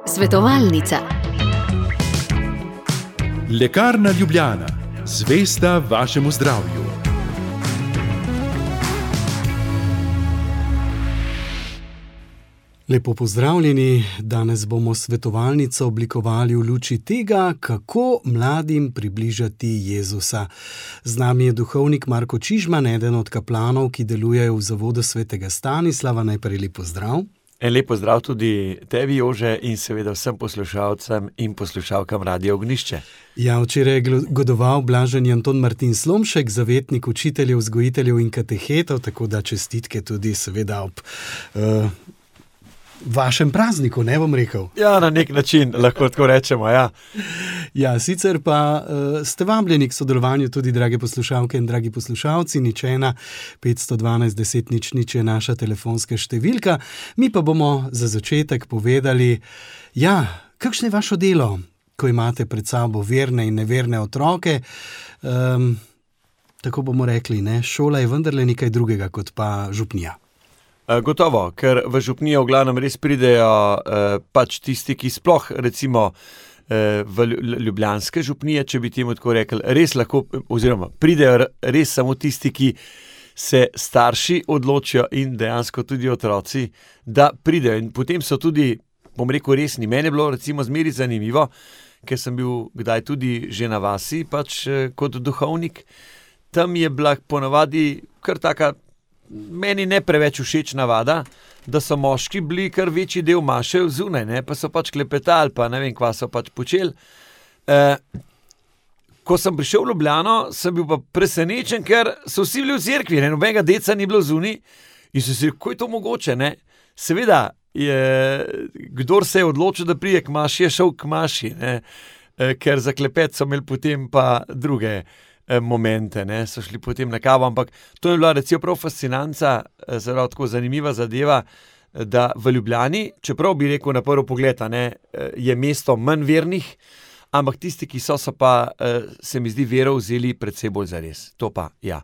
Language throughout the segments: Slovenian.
Svetovalnica. Lekarna Ljubljana, zvesta vašemu zdravju. Lepo pozdravljeni, danes bomo svetovalnico oblikovali v luči tega, kako mladim približati Jezusa. Z nami je duhovnik Marko Čižman, eden od kaplanov, ki delujejo v Zavodu svetega Stanislava. Najprej lep pozdrav. En lep pozdrav tudi tebi, Jože, in seveda vsem poslušalcem in poslušalkam Radia Ognjišče. Ja, včeraj je godoval blaženi Anton Martin Slomšek, zavetnik učiteljev, vzgojiteljev in katehetov, tako da čestitke tudi seveda ob vašem prazniku, ne bom rekel. Ja, na nek način, lahko tako rečemo, ja. Ja, sicer pa ste vabljeni k sodelovanju tudi, drage poslušalke in dragi poslušalci, 01 512 10 00 je naša telefonska številka. Mi pa bomo za začetek povedali, kakšno je vaše delo, ko imate pred sabo verne in neverne otroke. Tako bomo rekli, ne? Šola je vendarle nekaj drugega kot pa župnija. Gotovo, ker v župnijo v glavnem res pridejo pač tisti, ki sploh recimo v ljubljanske župnije, če bi temu tako rekli, res lahko, oziroma pridejo res samo tisti, ki se starši odločijo in dejansko tudi otroci, da pridejo. In potem so tudi, bom rekel, resni. Mene je bilo recimo zmeri zanimivo, ker sem bil kdaj tudi že na vasi, pač kot duhovnik. Tam je bila ponavadi kar taka, meni ne preveč všeč navada, da so moški bili kar večji del maše zunaj, ne, pa so pač klepetali, pa ne vem, kva so pač počeli. Ko sem prišel v Ljubljano, sem bil pa presenečen, ker so vsi bili v cerkvi, ne, nobenega deca ni bilo zunaj in so si rekel, kako je to mogoče, ne. Seveda, kdor se je odločil, da prije k maši, je šel k maši, ne, ker za klepet so imeli potem pa druge momente, ne, so šli potem na kavo, ampak to je bila recimo prav fascinanca, zelo tako zanimiva zadeva, da v Ljubljani, čeprav bi rekel na prvi pogled, ne, je mesto manj vernih, ampak tisti, ki so pa, se mi zdi, vero vzeli predvsej bolj zares. To pa, ja.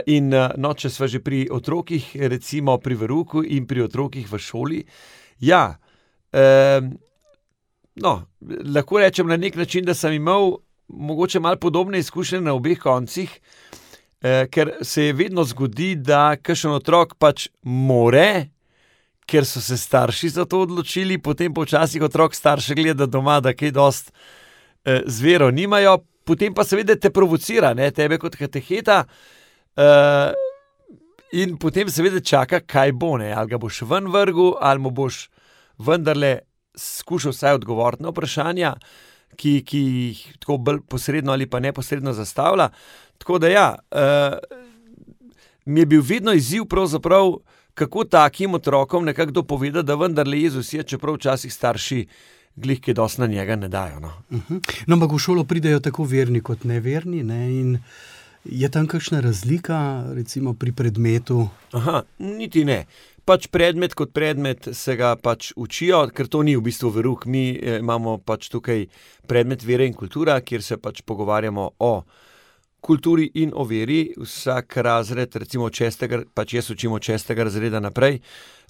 In no, če sva že pri otrokih, recimo pri verouku in pri otrokih v šoli, ja, lahko rečem na nek način, da sem imel mogoče malo podobne izkušnje na obeh koncih, ker se je vedno zgodi, da kakšen otrok pač more, ker so se starši za to odločili, potem pa včasih otrok starše gleda doma, da kaj dost z vero nimajo, potem pa seveda te provocira, ne, tebe kot kateheta, in potem seveda čaka, kaj bo, ne, ali ga boš ven vrgel, ali mu boš vendarle skušal vsaj odgovoriti na vprašanja, ki jih tako bolj posredno ali pa neposredno zastavlja. Tako da ja, mi je bil vedno izziv pravzaprav, kako takim otrokom nekako dopovedati, da vendarle Jezus je, čeprav včasih starši glih kaj dosti na njega ne dajo. No, ampak v šolo pridejo tako verni kot neverni, ne, in je tam kakšna razlika, recimo pri predmetu? Niti ne. Pač predmet kot predmet se ga pač učijo, ker to ni v bistvu verouk. Mi imamo pač tukaj predmet vere in kultura, kjer se pač pogovarjamo o kulturi in o veri. Vsak razred, recimo pač jaz učim od 6. razreda naprej,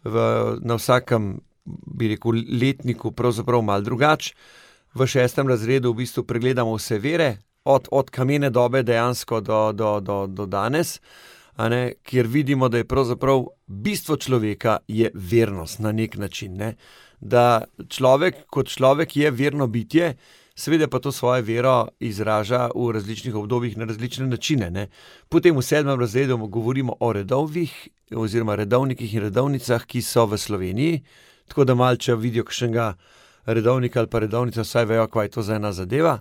na vsakem, bi rekel, letniku pravzaprav malo drugače. V 6. razredu v bistvu pregledamo vse vere, od kamene dobe dejansko do danes, kjer vidimo, da je pravzaprav bistvo človeka je vernost na nek način, ne? Da človek kot človek je verno bitje, seveda pa to svojo vero izraža v različnih obdobjih na različne načine, ne? Potem v 7. razredu govorimo o redovih oziroma redovnikih in redovnicah, ki so v Sloveniji, tako da malo, če vidijo kakšnega redovnika ali pa redovnica, vsaj vejo, kaj je to za ena zadeva.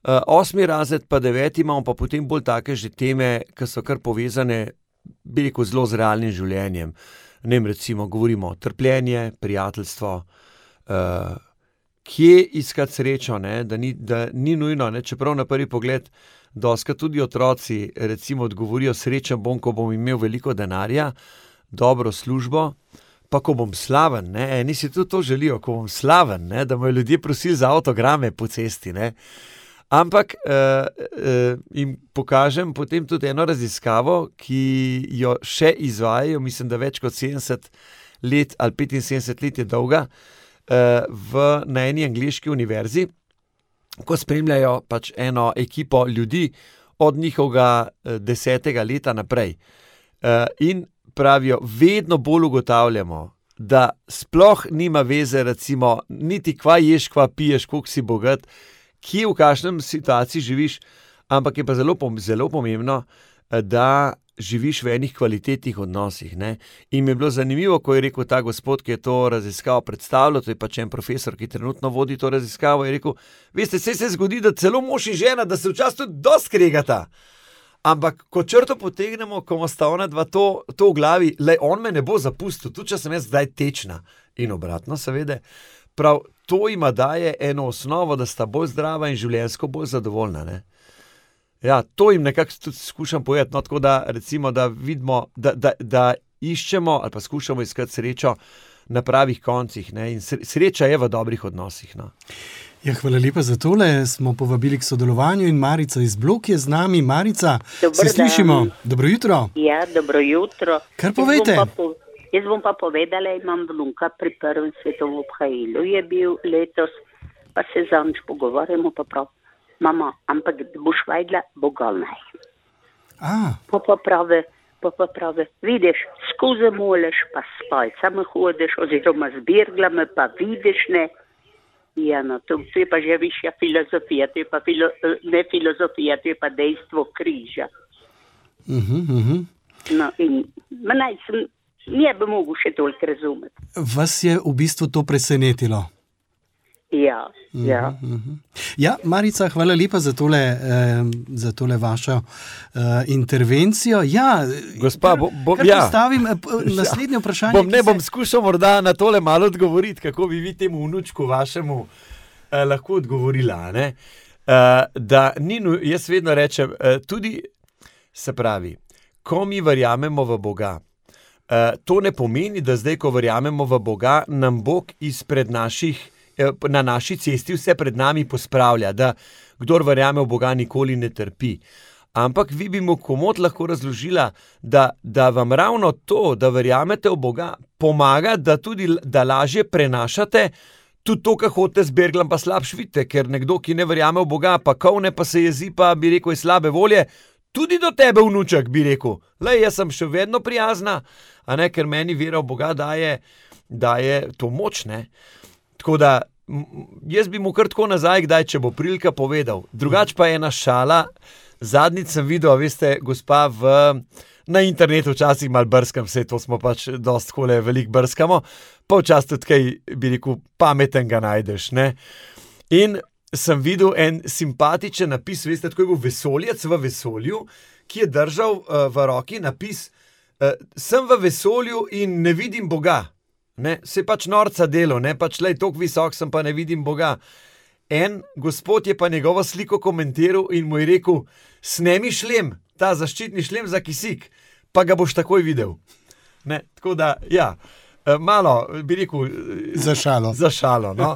8. razred pa 9. imamo pa potem bolj take že teme, ki so kar povezane, bi rekel, zelo z realnim življenjem. Ne vem, recimo, govorimo o trpljenje, prijateljstvo, kje iskati srečo, ne? Da ni nujno, ne? Čeprav na prvi pogled dostikrat tudi otroci recimo odgovorijo, srečen bom, ko bom imel veliko denarja, dobro službo, pa ko bom slaven, ne? Eni si tudi to želijo, ko bom slaven, ne? Da me ljudje prosili za avtograme po cesti, ne? Ampak jim pokažem potem tudi eno raziskavo, ki jo še izvajajo, mislim, da več kot 70 let ali 75 let je dolga, na eni angleški univerzi, ko spremljajo pač eno ekipo ljudi od njihovega 10. leta naprej. In pravijo, vedno bolj ugotavljamo, da sploh nima veze, recimo, niti kva ješ, kva piješ, koliko si bogat, kje v kakšnem situaciji živiš, ampak je pa zelo pomembno, da živiš v enih kvalitetnih odnosih. Ne? In mi je bilo zanimivo, ko je rekel ta gospod, ki je to raziskavo predstavljal, to je pač en profesor, ki trenutno vodi to raziskavo, je rekel, veste, se zgodi, da celo mož in žena, da se včasih tudi dosti kregata. Ampak, ko črto potegnemo, ko ima sta ona dva to v glavi, on me ne bo zapustil, tudi če sem jaz zdaj tečna. In obratno, seveda, prav to ima daje eno osnovo, da sta bolj zdrava in življenjsko bolj zadovoljna. Ne? Ja, to jim nekako tudi skušam povedati, no, tako da recimo, da vidimo, da iščemo ali pa skušamo iskati srečo na pravih koncih, ne? In sreča je v dobrih odnosih. No. Ja, hvala lepa za tole. Smo povabili k sodelovanju in Marica iz Blok je z nami. Marica, se slišimo. Dobro jutro. Ja, dobro jutro. Kar povejte? Jaz bom pa povedala, imam vnuka pri prvem svetovnem obhajilu. Je bil letos, pa se zanj pogovarjamo, pa prav, mama, ampak boš vedela, bo golnaj. Pa pravi, vidiš, skozi moleš, pa s palcami hodiš, oziroma z birglami, pa vidiš, ne. Ja, no, to je pa že višja filozofija, to je pa ne filozofija, to je pa dejstvo križa. No, in ne bi mogel še toliko razumeti. Vas je v bistvu to presenetilo? Ja. Ja, Marica, hvala lepa za tole vašo intervencijo. Ja, gospa, postavim naslednje vprašanje. Bom skušal morda na tole malo odgovoriti, kako bi vi temu vnučku vašemu lahko odgovorila. Ne? Jaz vedno rečem, tudi se pravi, ko mi verjamemo v Boga, to ne pomeni, da zdaj, ko verjamemo v Boga, nam Bog na naši cesti vse pred nami pospravlja, da kdor verjame v Boga, nikoli ne trpi. Ampak vi bi mu komot lahko razložila, da vam ravno to, da verjamete v Boga, pomaga, da lažje prenašate tudi to, kar hodite z berglom, pa slabš vidite, ker nekdo, ki ne verjame v Boga, pa kovne, pa se jezi, pa bi rekel, je slabe volje, tudi do tebe, vnuček, bi rekel. Jaz sem še vedno prijazna, a ne, ker meni vera v Boga daje to moč, ne. Tako da, jaz bi mu kar tako nazaj, kdaj, če bo prilika povedal. Drugač pa je ena šala. Zadnjič sem videl, veste, gospa na internetu včasih malo brskam, vse to smo pač dosti kole veliko brskamo, pa včasih tudi kaj, bi rekel, pametenga najdeš, ne. In sem videl en simpatičen napis, veste, tako je bil vesoljec v vesolju, ki je držal v roki napis, sem v vesolju in ne vidim Boga. Ne, se pač norca delo, ne, pač toliko visok sem, pa ne vidim Boga. En gospod je pa njegovo sliko komentiral in mu je rekel, snemi šlem, ta zaščitni šlem za kisik, pa ga boš takoj videl. Ne, tako da, ja, malo, bi rekel, za šalo. No?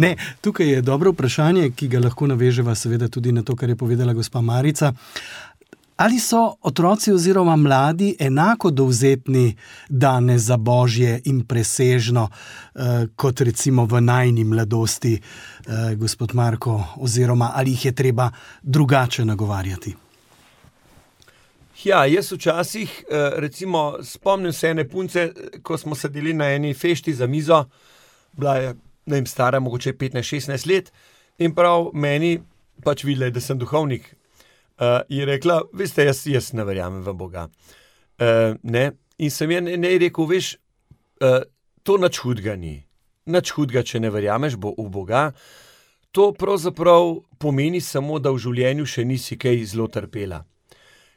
Ne, tukaj je dobro vprašanje, ki ga lahko naveževa seveda tudi na to, kar je povedala gospa Marica. Ali so otroci oziroma mladi enako dovzetni danes za božje in presežno, kot recimo v najni mladosti, gospod Marko, oziroma ali jih je treba drugače nagovarjati? Ja, jaz včasih, recimo, spomnim se ene punce, ko smo sedeli na eni fešti za mizo, bila je, ne vem, stara mogoče 15-16 let, in prav meni pač videla, da sem duhovnik. Je rekla, veste, jaz ne verjamem v Boga. Ne? In sem je rekel, veš, to nič hudega ni. Nič hudega, če ne verjameš v Boga. To pravzaprav pomeni samo, da v življenju še nisi kaj zelo trpela.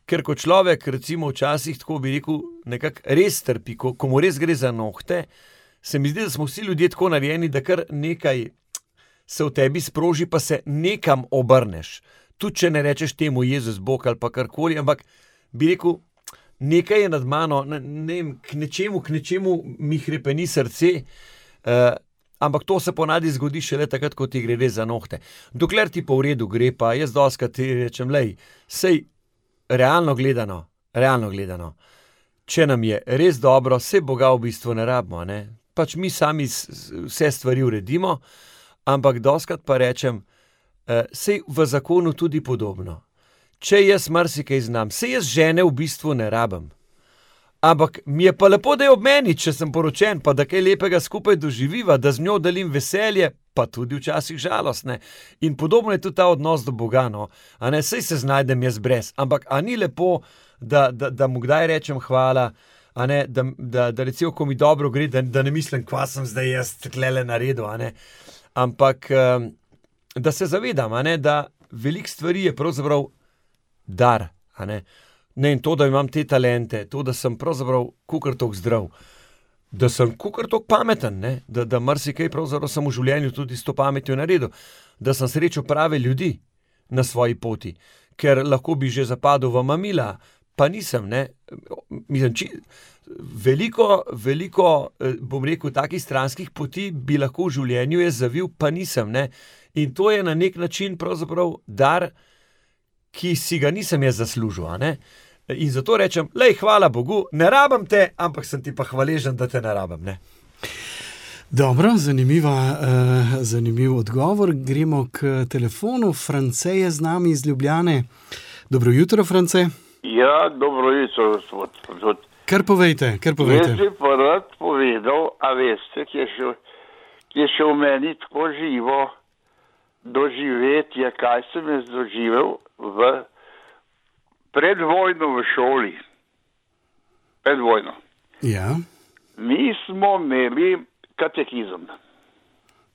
Ker ko človek, recimo včasih, tako bi rekel, nekako res trpi, ko mu res gre za nohte, se mi zdi, da smo vsi ljudje tako narejeni, da kar nekaj se v tebi sproži, pa se nekam obrneš. Tudi če ne rečeš temu Jezus Bog ali pa karkoli, ampak bi rekel, nekaj je nad mano, ne vem, k nečemu mi hrepeni srce, ampak to se ponavadi zgodi šele takrat, ko ti gre res za nohte. Dokler ti pa v redu gre, pa jaz dostikrat ti rečem, sej realno gledano, če nam je res dobro, se Boga v bistvu ne rabimo, ne? Pač mi sami vse stvari uredimo, ampak dostikrat pa rečem, sej v zakonu tudi podobno. Če jaz marsikaj znam, sej jaz žene v bistvu ne rabim. Ampak mi je pa lepo, da je ob meni, če sem poročen, pa da kaj lepega skupaj doživiva, da z njo delim veselje, pa tudi včasih žalost, ne. In podobno je tudi ta odnos do Boga, no. A ne, sej se znajdem jaz brez, ampak a ni lepo, da mu kdaj rečem hvala, a ne, da recimo, ko mi dobro gre, da ne mislim, kva sem zdaj jaz tlele naredil, a ne. Ampak, da se zavedam, a ne, da veliko stvari je pravzaprav dar, a ne. Ne, in to, da imam te talente, to, da sem pravzaprav kakor toliko zdrav, da sem kakor toliko pameten, ne, da marsikaj pravzaprav sem v življenju tudi s to pametjo naredil, da sem srečal prave ljudi na svoji poti, ker lahko bi že zapadel v mamila, pa nisem, ne. Mislim, veliko, bom rekel, takih stranskih poti bi lahko v življenju jaz zavil, pa nisem, ne. In to je na nek način pravzaprav dar, ki si ga nisem jaz zaslužil, a ne. In zato rečem, lej, hvala Bogu, ne rabim te, ampak sem ti pa hvaležen, da te ne rabim, ne. Dobro, zanimiv odgovor. Gremo k telefonu. France je z nami iz Ljubljane. Dobro jutro, France. Ja, dobro jutro, gospod. Kar povejte. Jaz bi pa rad povedal, a veste, ki je še v meni tako živo doživetje, kaj sem jaz doživel pred vojno v šoli. Pred vojno. Ja. Mi smo imeli katekizem.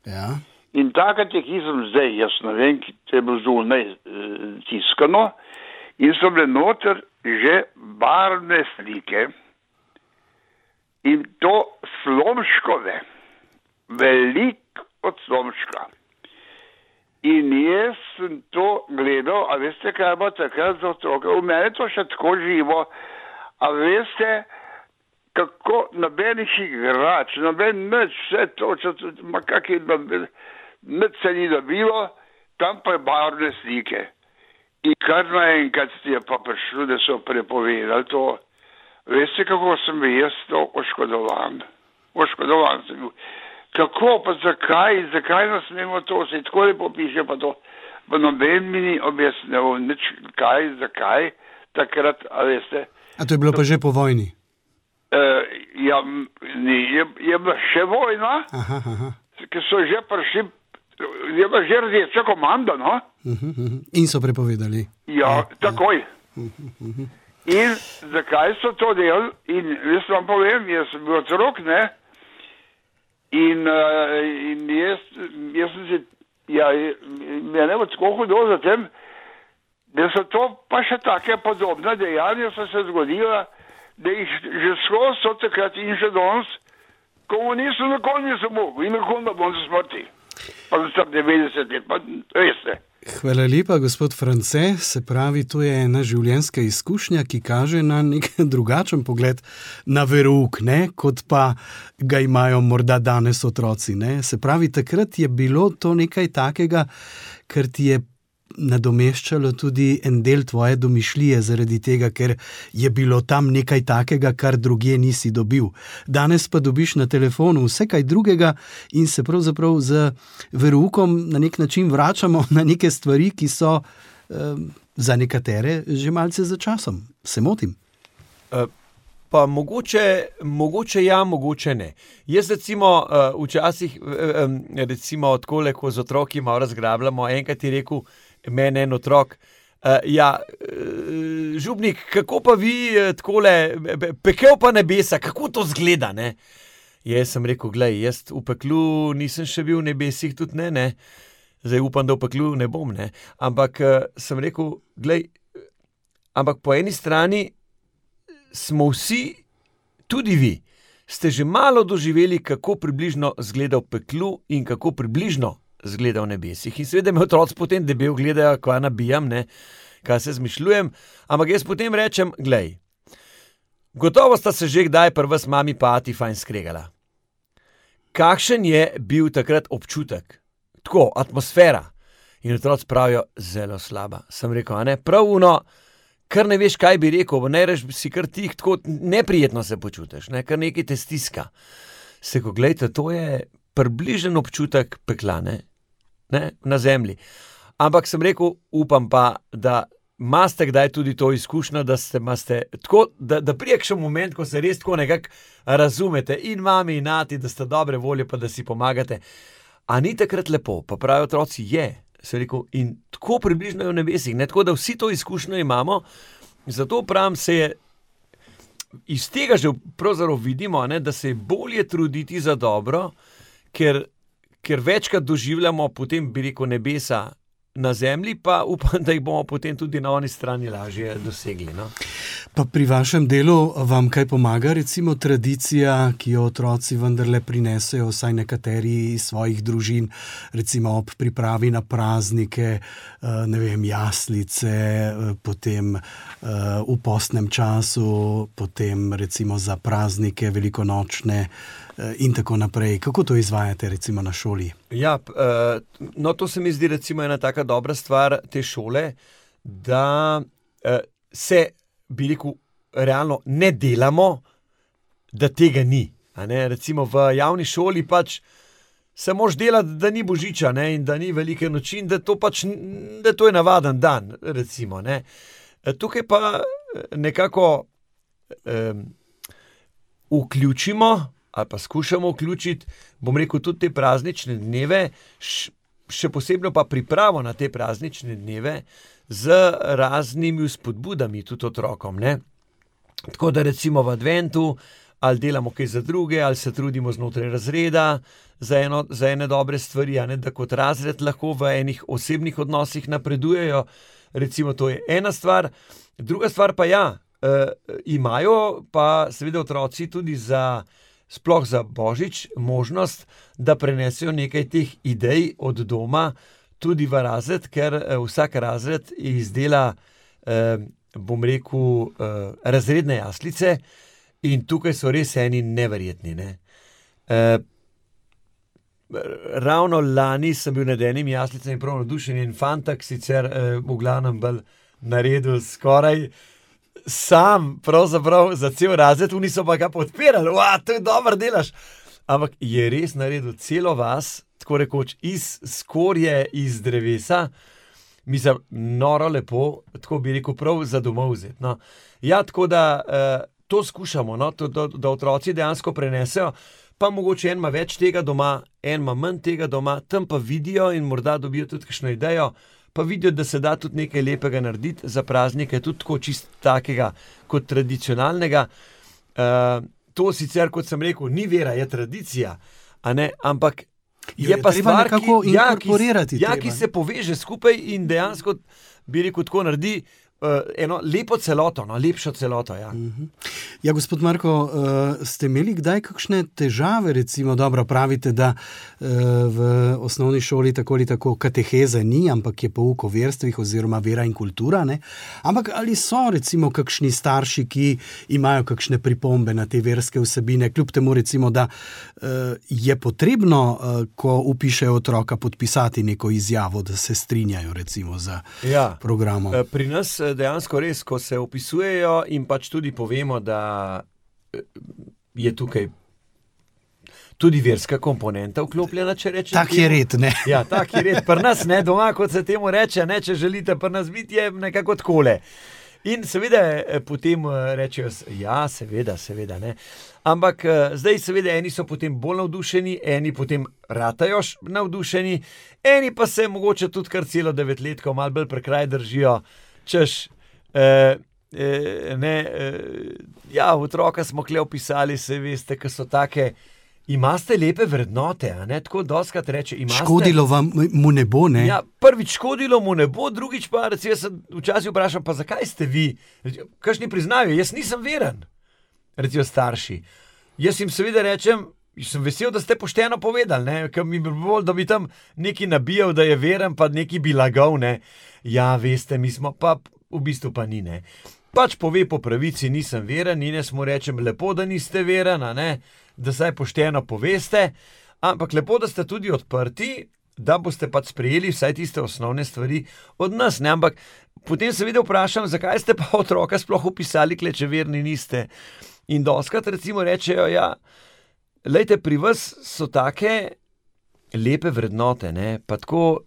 Ja. In ta katekizem zdaj, jaz ne vem, če je bilo zunaj tiskano, in so bile noter že barvne slike, in to Slomškove, veliko od Slomška. In jaz sem to gledal, a veste, kaj bo takrat za otroke. V mene to še tako živo, a veste, kako nobenih igrač, noben nič, vse to, nič se ni dobilo, tam pa je barvne slike. In kar naenkrat je pa prišlo, da so prepovedali to. Veste, kako sem bil jaz to oškodovan? Oškodovan sem bil. Kako, pa zakaj nas smemo to, se tako lepo piše, pa to, pa noben mi ni objasnil, nič kaj, zakaj, takrat, a veste. A to je bilo pa že po vojni? Ja, je bila še vojna, ki so že prišli, je bila že rdeča komanda, no? In so prepovedali. Ja, takoj. In zakaj so to delali? In jaz vam povem, jaz sem bil otrok, ne? In jaz sem se, mene bo tako hudo za tem, da so to pa še take podobne dejanja so se zgodila, da jih že skozi so takrat in še danes, komunistov nikoli nisem mogel in nikoli ne bom za smrti. Pa sem 90 let, pa veste. Hvala lepa, gospod France. Se pravi, to je ena življenjska izkušnja, ki kaže na nek drugačen pogled na verouk, ne, kot pa ga imajo morda danes otroci, ne. Se pravi, takrat je bilo to nekaj takega, kar ti je nadomeščalo tudi en del tvoje domišljije, zaradi tega, ker je bilo tam nekaj takega, kar drugje nisi dobil. Danes pa dobiš na telefonu vse kaj drugega in se pravzaprav z veroukom na nek način vračamo na neke stvari, ki so za nekatere že malce za časom. Se motim? Pa mogoče ja, mogoče ne. Jaz recimo včasih, recimo takole, ko z otroki malo razgrabljamo, enkrat je rekel meni en otrok, Župnik, kako pa vi takole, pekel pa nebesa, kako to zgleda, ne? Jaz sem rekel, glej, jaz v peklu nisem še bil v nebesih, tudi ne, zdaj upam, da v peklu ne bom, ne, ampak sem rekel, glej, ampak po eni strani smo vsi, tudi vi, ste že malo doživeli, kako približno zgleda v peklu in kako približno zgleda v nebesih. In seveda me otroci potem debel gledajo, kva nabijam, ne, kaj se zmišljujem, ampak jaz potem rečem, glej, gotovo sta se že kdaj pri vas mami pa ati fajn skregala. Kakšen je bil takrat občutek? Tako, atmosfera. In otroci pravijo, zelo slaba. Sem rekel, a ne, prav uno, kar ne veš, kaj bi rekel, ne reš si kar tih, tako neprijetno se počutiš, ne, kar nekaj te stiska. Seko, gledajte, to je približen občutek pekla, ne, na zemlji. Ampak sem rekel, upam pa, da imate kdaj tudi to izkušnjo, da imate tako, da prije še moment, ko se res tako nekako razumete in mami in ati, da ste dobre volje, pa da si pomagate. A ni takrat lepo, pa pravijo otroci, se rekel, in tako približno je v nebesih, ne, tako da vsi to izkušnjo imamo, zato pravim, se je iz tega že pravzaprav vidimo, ne, da se je bolje truditi za dobro, ker večkrat doživljamo potem, bi rekel, nebesa na zemlji, pa upam, da jih bomo potem tudi na oni strani lažje dosegli. No? Pa pri vašem delu vam kaj pomaga, recimo tradicija, ki jo otroci vendarle prinesejo, vsaj nekateri iz svojih družin, recimo ob pripravi na praznike, ne vem, jaslice, potem v postnem času, potem recimo za praznike velikonočne in tako naprej. Kako to izvajate recimo na šoli? Ja, no to se mi zdi recimo ena taka dobra stvar te šole, da se, bi rekel, realno ne delamo, da tega ni. A ne? Recimo v javni šoli pač se moraš delati, da ni božiča, ne? In da ni velike noči in da to je navaden dan, recimo. Ne? Tukaj pa nekako vključimo ali pa skušamo vključiti, bom rekel, tudi te praznične dneve, še posebno pa pripravo na te praznične dneve z raznimi vzpodbudami tudi otrokom. Ne? Tako da recimo v adventu ali delamo kaj za druge, ali se trudimo znotraj razreda za ene dobre stvari, a ne, da kot razred lahko v enih osebnih odnosih napredujejo. Recimo to je ena stvar. Druga stvar pa imajo pa seveda otroci tudi sploh za Božič možnost, da prenesejo nekaj teh idej od doma tudi v razred, ker vsak razred izdela, bom rekel, razredne jaslice in tukaj so res eni neverjetni. Ne? Ravno lani sem bil nad enim jaslicem in prav navdušen in fantak sicer v glavnem bolj naredil skoraj sam, pravzaprav za cel razred, oni so pa ga podpirali, to je dobro delaš. Ampak je res naredil celo vas, tako rekoč iz skorje, iz drevesa, mislim, noro lepo, tako bi rekel, prav za domov vzeti. No. Ja, tako da to skušamo, no, da otroci dejansko prenesejo, pa mogoče en ima več tega doma, en ima manj tega doma, tam pa vidijo in morda dobijo tudi kakšno idejo, pa vidijo, da se da tudi nekaj lepega narediti za praznike, tudi tako čist takega kot tradicionalnega. To sicer, kot sem rekel, ni vera, je tradicija, a ne, ampak je pa stvar, ki se poveže skupaj in dejansko, bi rekel, tako naredi eno lepo celoto, lepšo celoto. Ja. Ja, gospod Marko, ste imeli kdaj kakšne težave, recimo, dobro pravite, da v osnovni šoli tako ali tako kateheze ni, ampak je pouk o verstvih oziroma vera in kultura, ne? Ampak ali so recimo kakšni starši, ki imajo kakšne pripombe na te verske vsebine, kljub temu recimo, da je potrebno, ko vpišejo otroka, podpisati neko izjavo, da se strinjajo recimo za programom? Pri nas dejansko res, ko se opisujejo in pač tudi povemo, da je tukaj tudi verska komponenta vklopljena, če rečem. Tak je red, ne? Ja, tak je red. Pri nas, ne, doma, kot se temu reče, ne, če želite pri nas biti, je nekako takole. In seveda potem rečejo, ja, seveda, ne. Ampak zdaj seveda eni so potem bolj navdušeni, eni potem ratajo navdušeni, eni pa se mogoče tudi kar celo 9-letko malo bolj prekraj držijo, češ, ja, otroka smo kle opisali, se veste, ki so take, imate lepe vrednote, a ne, tako dostkrat reče, imate. Škodilo mu ne bo, ne? Ja, prvič škodilo mu ne bo, drugič pa, recimo, jaz včasih vprašam, pa zakaj ste vi? Kakšni priznajo, jaz nisem veren, recimo starši. Jaz jim seveda rečem, sem vesel, da ste pošteno povedali, ne, ker mi bi bolj, da bi tam neki nabijal, da je veren, pa neki bi lagal, ne. Ja, veste, mi smo pa, v bistvu pa ni, ne. Pač pove po pravici, nisem veren in jaz mu rečem, lepo, da niste veren, a ne, da saj pošteno poveste, ampak lepo, da ste tudi odprti da boste pač sprejeli vsaj tiste osnovne stvari od nas, ne, ampak potem seveda vprašam, zakaj ste pa otroka sploh upisali, če verni niste. In dostakrat recimo rečejo, ja, lejte, pri vas so take lepe vrednote, ne, pa tako,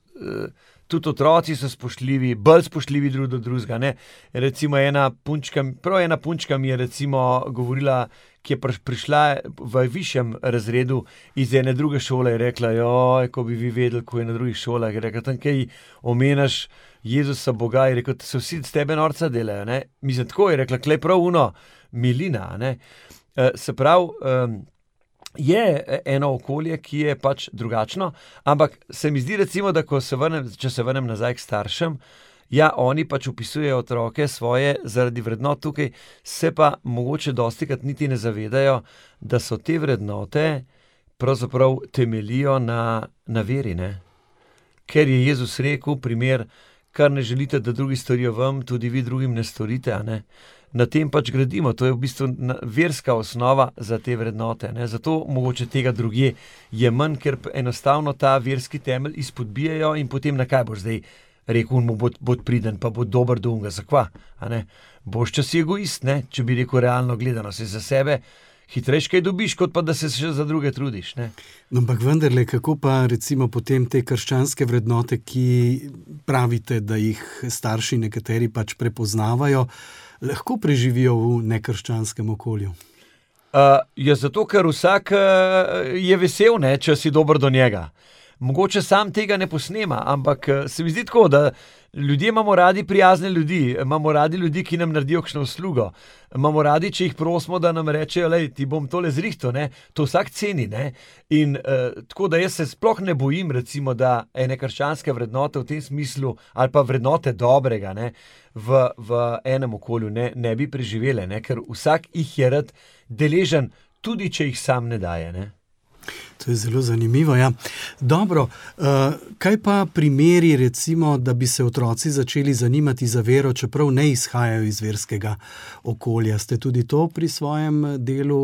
tudi otroci so spoštljivi, bolj spoštljivi drug do drugega, ne. Recimo ena punčka mi je recimo govorila, ki je prišla v višjem razredu iz ene druge šole, je rekla, joj, ko bi vi vedeli, ko je na drugih šolah, je rekla, tam kaj omenaš Jezusa Boga, je rekel, se vsi s tebe norca delajo, ne. Mislim, tako je rekla, klej prav milina, ne. Se pravi, je eno okolje, ki je pač drugačno, ampak se mi zdi recimo, da če se vrnem nazaj k staršem, ja, oni pač upisujejo otroke svoje zaradi vrednot tukaj, se pa mogoče dostikrat niti ne zavedajo, da so te vrednote pravzaprav temelijo na veri, ne. Ker je Jezus rekel, primer, kar ne želite, da drugi storijo vam, tudi vi drugim ne storite, a ne. Na tem pač gradimo, to je v bistvu verska osnova za te vrednote, ne. Zato mogoče tega drugje je manj, ker enostavno ta verski temelj izpodbijajo in potem na kaj boš zdaj rekel, mu bo priden, pa bo dober do unga, zakva, a ne. Boš čas egoist, ne, če bi rekel realno gledano, se za sebe hitrejš kaj dobiš, kot pa da se še za druge trudiš, ne. No, ampak vendarle, kako pa recimo potem te krščanske vrednote, ki pravite, da jih starši nekateri pač prepoznavajo, lahko preživijo v nekrščanskem okolju? Ja, zato, ker vsak je vesel, ne, če si dober do njega. Mogoče sam tega ne posnema, ampak se mi zdi tako, da ljudje imamo radi prijazne ljudi, imamo radi ljudi, ki nam naredijo kakšno uslugo, imamo radi, če jih prosimo, da nam rečejo, lej, ti bom tole zrihtal, ne, to vsak ceni, ne, in tako, da jaz se sploh ne bojim, recimo, da ene krščanske vrednote v tem smislu, ali pa vrednote dobrega, ne, v enem okolju ne bi preživele, ne, ker vsak jih je rad deležen, tudi če jih sam ne daje, ne. To je zelo zanimivo, ja. Dobro, kaj pa primeri, recimo, da bi se otroci začeli zanimati za vero, čeprav ne izhajajo iz verskega okolja? Ste tudi to pri svojem delu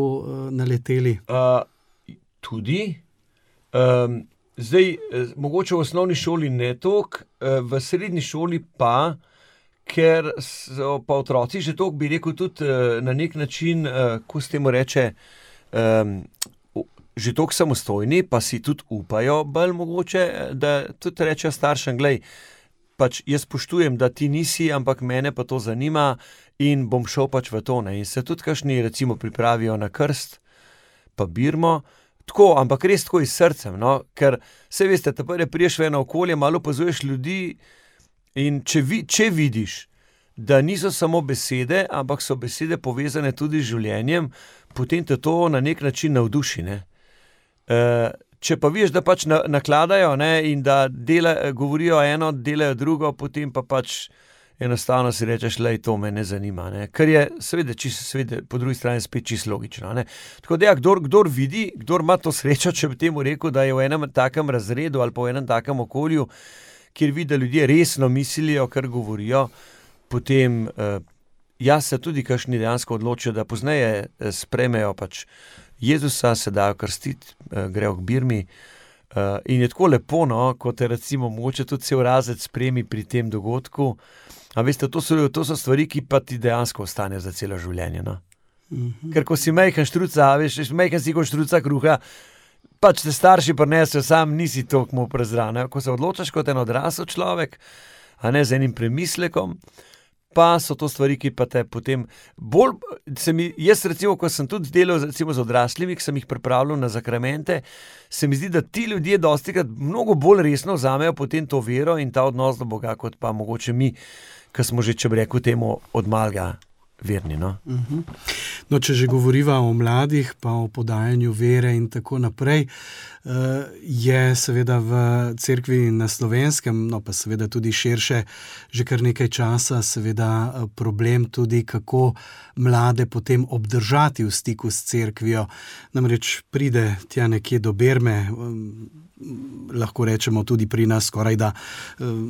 naleteli? Tudi. Zdaj, mogoče v osnovni šoli ne toliko, v srednji šoli pa, ker so pa otroci že toliko, bi rekel, tudi na nek način, ko se temu reče, že toliko samostojni, pa si tudi upajo bolj mogoče, da tudi rečejo staršem, glej, pač jaz spoštujem, da ti nisi, ampak mene pa to zanima in bom šel pač v to, ne. In se tudi kakšni recimo pripravijo na krst, pa birmo, tako, ampak res tako iz srcem, no, ker saj veste, prve priješ v eno okolje, malo opazuješ ljudi in če vidiš, da niso samo besede, ampak so besede povezane tudi z življenjem, potem te to na nek način navduši, ne. Če pa vidiš, da pač nakladajo, ne, in da govorijo eno, delajo drugo, potem pa pač enostavno si rečeš, lej, to me ne zanima, ne. Kar je seveda po drugi strani spet čisto logično, ne. Tako da ja, kdor vidi, kdor ima to srečo, če bi temu rekel, da je v enem takem razredu ali pa v enem takem okolju, kjer vidi, da ljudje resno mislijo, kar govorijo, potem se tudi kakšni dejansko odločijo, da pozneje sprejmejo pač Jezusa, se dajo krstiti, grejo k birmi, in je tako lepo, no, ko te recimo mogoče tudi cel razred spremi pri tem dogodku. A veste, to so stvari, ki pa ti dejansko ostanejo za celo življenje, no. Ker ko si majhen štruca, veš, majhen si kot štruca kruha, pač te starši prinesejo, sam nisi toliko mu prezran. Ko se odločaš kot en odrasel človek, a ne z enim premislekom, pa so to stvari, ki pa te potem bolj, jaz recimo, ko sem tudi delal recimo z odraslimi, ki sem jih pripravljal na zakramente, se mi zdi, da ti ljudje dostikrat mnogo bolj resno vzamejo potem to vero in ta odnos do Boga, kot pa mogoče mi, ki smo že, če bi rekel temu, od malega verni, no. No, če že govoriva o mladih, pa o podajanju vere in tako naprej, je seveda v cerkvi na Slovenskem, no pa seveda tudi širše, že kar nekaj časa seveda problem tudi, kako mlade potem obdržati v stiku s cerkvijo. Namreč pride tja nekje do berme, lahko rečemo tudi pri nas skoraj da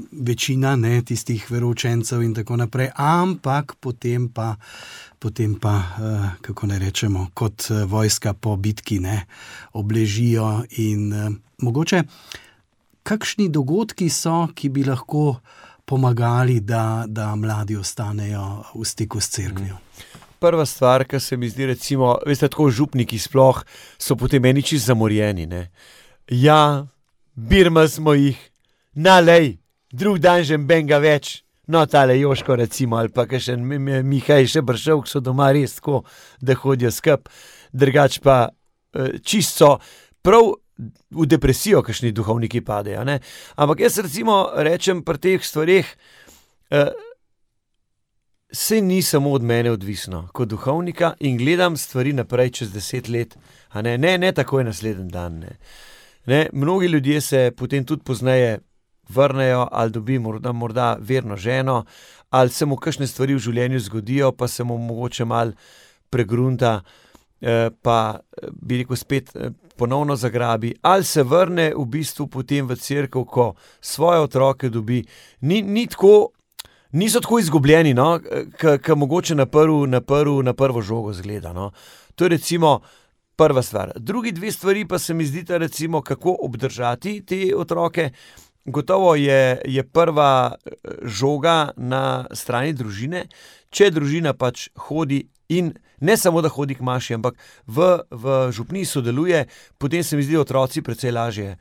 večina, ne, tistih veroučencev in tako naprej, ampak potem pa, kako ne rečemo, kot vojska po bitki, ne, obležijo in mogoče, kakšni dogodki so, ki bi lahko pomagali, da mladi ostanejo v stiku s cerkvijo? Prva stvar, ki se mi zdi, recimo, veste, tako župniki sploh so potem meni čisto zamorjeni, ne. Ja, birma smo jih, nalej, drug dan že benga več. No, tale Joško recimo, ali pa kakšen Mihaj še Bršov, ki so doma res tako, da hodijo skup, drugač pa čisto prav v depresijo kakšni duhovniki padejo, ne. Ampak jaz recimo rečem pri teh stvareh, saj ni samo od mene odvisno, kot duhovnika in gledam stvari naprej čez 10 let, a ne takoj naslednji dan, ne. Mnogi ljudje se potem tudi pozneje vrnejo, ali dobi morda verno ženo, ali se mu kakšne stvari v življenju zgodijo, pa se mu mogoče malo pregrunta, pa bi rekel spet ponovno zagrabi, ali se vrne v bistvu potem v cerkev, ko svoje otroke dobi. Niso tako izgubljeni, no, ki mogoče na prvo žogo zgleda, no. To je recimo prva stvar. Drugi dve stvari pa se mi zdita recimo, kako obdržati te otroke. Gotovo je prva žoga na strani družine, če družina pač hodi in ne samo, da hodi k maši, ampak v župniji sodeluje, potem se mi zdi, otroci precej lažje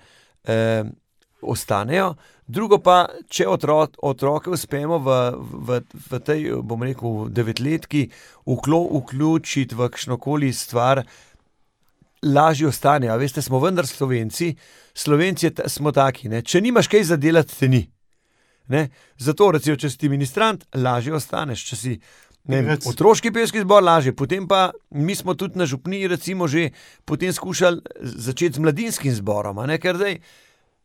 ostanejo. Drugo pa, če otroke uspemo v tej, bom rekel, 9-letki vključiti v kakšnokoli stvar, lažje ostanejo. Veste, smo vendar Slovenci smo taki, ne. Če nimaš kaj za delati, te ni. Ne. Zato, recimo, če si ministrant, lažje ostaneš. Če si otroški pevski zbor, lažje. Potem pa, mi smo tudi na župniji, recimo, že potem skušali začeti z mladinskim zborom, a ne, ker zdaj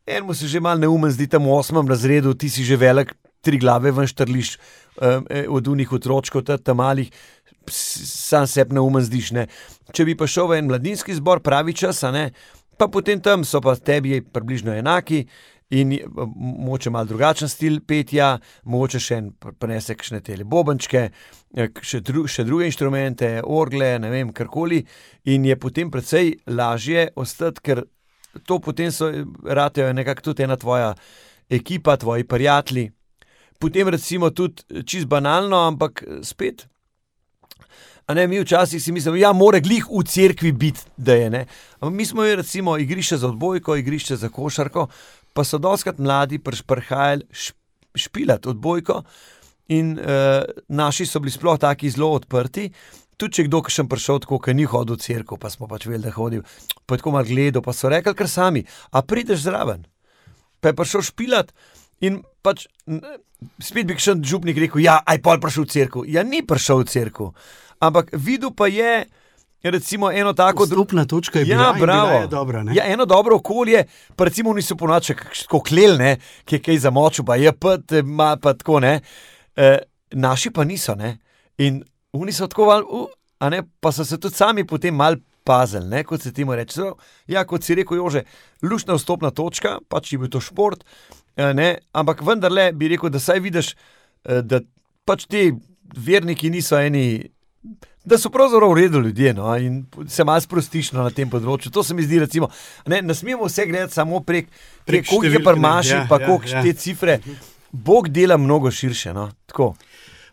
enemu se že malo neumen zdi tam v 8. razredu, ti si že velik, 3 glave ven štrliš od unih otročkov, tam malih, sam sebi neumen zdiš, ne. Če bi pa šel v en mladinski zbor, pravi čas, a ne, pa potem tam so pa tebi približno enaki in mogoče malo drugačen stil petja, mogoče še en prinese kakšne tele bobenčke, še druge inštrumente, orgle, ne vem, karkoli, in je potem precej lažje ostati, ker to potem ratejo nekako tudi ena tvoja ekipa, tvoji prijatelji. Potem recimo tudi čisto banalno, ampak spet, a ne, mi včasih si mislimo, ja, more glih v cerkvi biti, da je, ne. Ampak mi smo recimo igrišče za odbojko, igrišče za košarko, pa so dostikrat mladi prihajali špilati odbojko in naši so bili sploh taki zelo odprti. Tudi če kdo kakšen prišel tako, ki ni hodil v cerkev, pa smo pač vedeli, da hodil, pa je tako malo gledal, pa so rekli kar sami, a prideš zraven? Pa je prišel špilat in pač spet bi kakšen župnik rekel, ja, aj pol prišel v cerkev. Ja, ni prišel v cerkev, ampak videl pa je recimo eno tako... Vstopna točka je bila, in bila je dobra, ne? Ja, eno dobro okolje, pa recimo niso ponoči tako klel, ne, ki je kaj zamočil, pa je pa tako, ne. Naši pa niso, ne. In oni so tako a ne, pa so se tudi sami potem malo pazili, ne, kot se temu reče. Ja, kot si rekel, Jože, luštna vstopna točka, pač je bil to šport, ne, ampak vendarle bi rekel, da saj vidiš, da pač ti verniki niso eni, da so pravzaprav v redu ljudje, no, in se malo sprostiš, no, na tem področju. To se mi zdi recimo, ne smemo vse gledati samo prek koliko je pri maši, pa koliko te cifre. Bog dela mnogo širše, no, tako.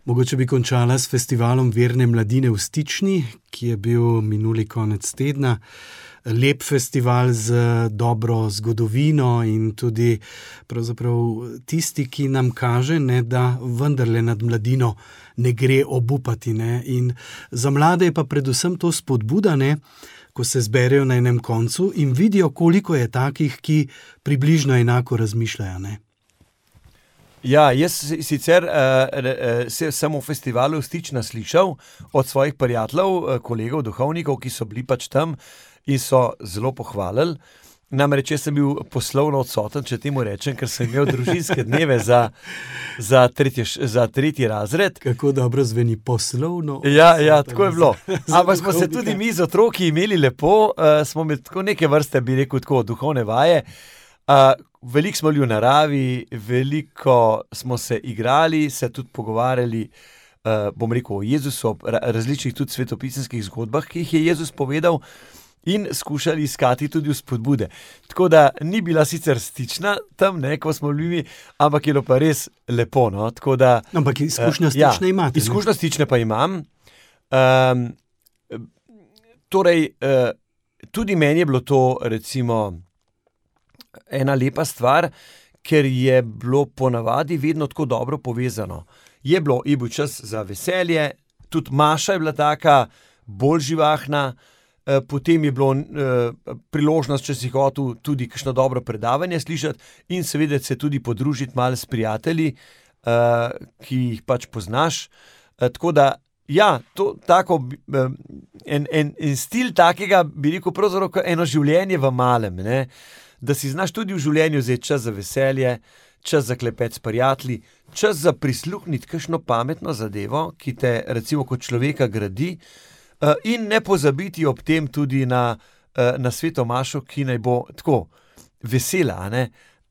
Mogoče bi končala s festivalom Verne mladine v Stični, ki je bil minuli konec tedna. Lep festival z dobro zgodovino in tudi pravzaprav tisti, ki nam kaže, ne, da vendarle nad mladino ne gre obupati, ne. In za mlade je pa predvsem to spodbuda, ne, ko se zberejo na enem koncu in vidijo, koliko je takih, ki približno enako razmišljajo, ne. Ja, jaz sicer sem v festivalu Stična slišal od svojih prijateljev, kolegov, duhovnikov, ki so bili pač tam in so zelo pohvalili. Namreč jaz sem bil poslovno odsoten, če temu rečem, ker sem imel družinske dneve za tretji razred. Kako dobro zveni poslovno. Ja, tako je bilo. Ampak smo se tudi mi z otroki imeli lepo, smo imeli tako neke vrste, bi rekel tako, duhovne vaje. Veliko smo bili v naravi, veliko smo se igrali, se tudi pogovarjali, bom rekel, o Jezusu, o različnih tudi svetopisemskih zgodbah, ki jih je Jezus povedal. in skušali iskati tudi vzpodbude. Tako da ni bila sicer stična tam, ko smo bili, ampak je bilo pa res lepo. No? Da, ampak izkušnja stične imate. Izkušnja stične pa imam. Torej, tudi meni je bilo to recimo ena lepa stvar, ker je bilo ponavadi vedno tako dobro povezano. Je bil čas za veselje, tudi Maša je bila taka, bolj živahna, potem je bilo priložnost, če si hotel tudi kakšno dobro predavanje slišati in seveda se tudi podružiti malo s prijatelji, ki jih pač poznaš. Tako da, ja, to tako, en stil takega, bi rekel, pravzaprav eno življenje v malem, ne? Da si znaš tudi v življenju vzeti čas za veselje, čas za klepet s prijatelji, čas za prisluhniti kakšno pametno zadevo, ki te recimo kot človeka gradi, in ne pozabiti ob tem tudi na Sveto Mašo, ki naj bo tako vesela, ne?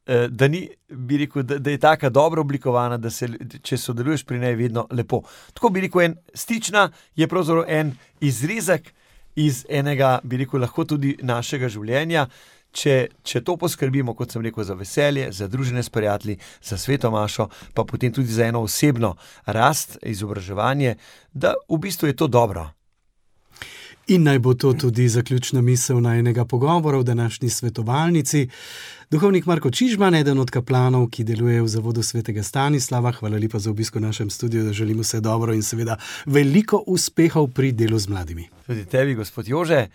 Da ni, bi rekel, da je taka dobro oblikovana, da se, če sodeluješ pri njej, vedno lepo. Tako bi rekel, stična je pravzaprav en izrezek iz enega, bi rekel, lahko tudi našega življenja. Če to poskrbimo, kot sem rekel, za veselje, za druženje s prijatelji, za Sveto Mašo, pa potem tudi za eno osebno rast, izobraževanje, da v bistvu je to dobro. In naj bo to tudi zaključna misel najinega pogovora v današnji svetovalnici. Duhovnik Marko Čižman, eden od kaplanov, ki deluje v Zavodu svetega Stanislava. Hvala lepa za obisk v našem studiu, da želimo vse dobro in seveda veliko uspehov pri delu z mladimi. Tudi tebi, gospod Jože,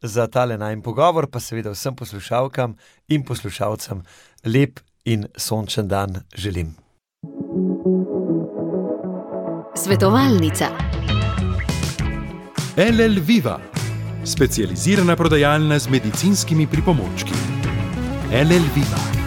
za tale najin pogovor, pa seveda vsem poslušalkam in poslušalcem lep in sončen dan želim. Svetovalnica. LL Viva, specializirana prodajalna z medicinskimi pripomočki. LL Viva.